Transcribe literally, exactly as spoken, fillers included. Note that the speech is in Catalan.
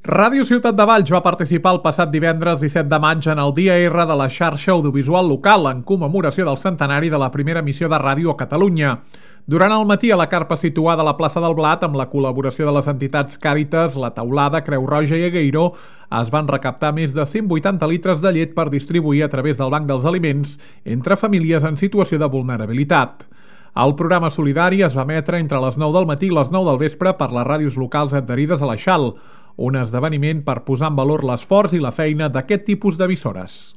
Ràdio Ciutat de Valls va participar el passat divendres disset de maig en el Dia R de la xarxa audiovisual local en commemoració del centenari de la primera emissió de ràdio a Catalunya. Durant el matí a la carpa situada a la plaça del Blat, amb la col·laboració de les entitats Càritas, La Taulada, Creu Roja i Agueiro, es van recaptar més de cent vuitanta litres de llet per distribuir a través del Banc dels Aliments entre famílies en situació de vulnerabilitat. El programa solidari es va emetre entre les nou del matí i les nou del vespre per les ràdios locals adherides a la X A L, un esdeveniment per posar en valor l'esforç i la feina d'aquest tipus d'emissores.